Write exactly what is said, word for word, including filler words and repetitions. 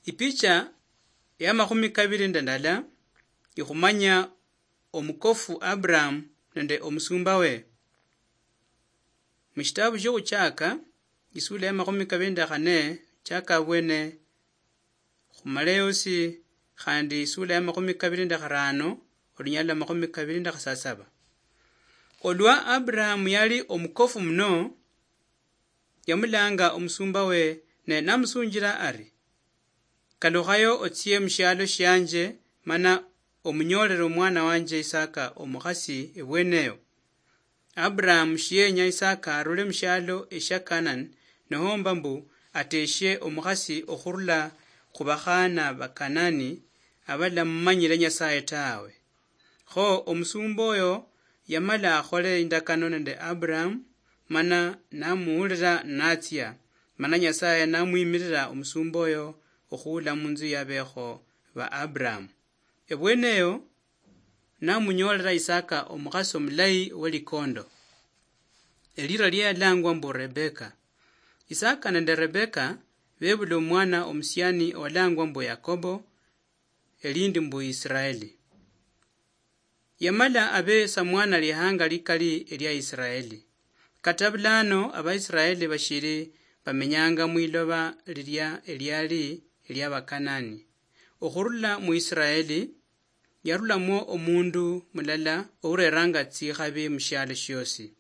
Ipicha ya makhumi kabili nende ndala ikhumanya omukofu Abraham nende omusumba we. Mushitabu shiokhuchaka, isula ya makhumi kabili nende khane, chaka abwene khumala yosi, khandi isula ya makhumi kabili nende kharano, olunyala lwa makhumi kabili nende khasasaba. Olwa Abraham yali omukofu muno, yamulanga omusumba we, ne namusunjila ari, "Kalukhayo otsie mushialo shianje, mana omunyoolele omwana wanje Isaka omukhasi ebweneyo." Abraham shiyenya Isaka arule mushialo eshia Kanani, nohomba mbu ateshie omukhasi okhurula khubakhaana Bakanani abalamumanyile Nyasaye tawe. Kho omusumba oyo yamala akhole indakano nende Abraham, mana namuwulila natsia, mana Nyasaye namwimirira omusumba oyo okhuula munzu yabekho ba Abraham. Ebweneyo namunyoolela Isaka omukhasi omulayi welikondo. Elira liye yalangwa mbu Rebeka. Isaka nende Rebeka bebula omwana omusiani owalangwa mbu Yakobo, elindi mbu Israeli. Yamala abe samwana lihanga likali elia Israeli. Kata bulano Abaisraeli bashili bamenyanga mwiloba lilia eliali elia Bakanani. Okhurula mu Israeli, yarulamwo omundu mulala oureranga tsikhabi mushialo shiosi.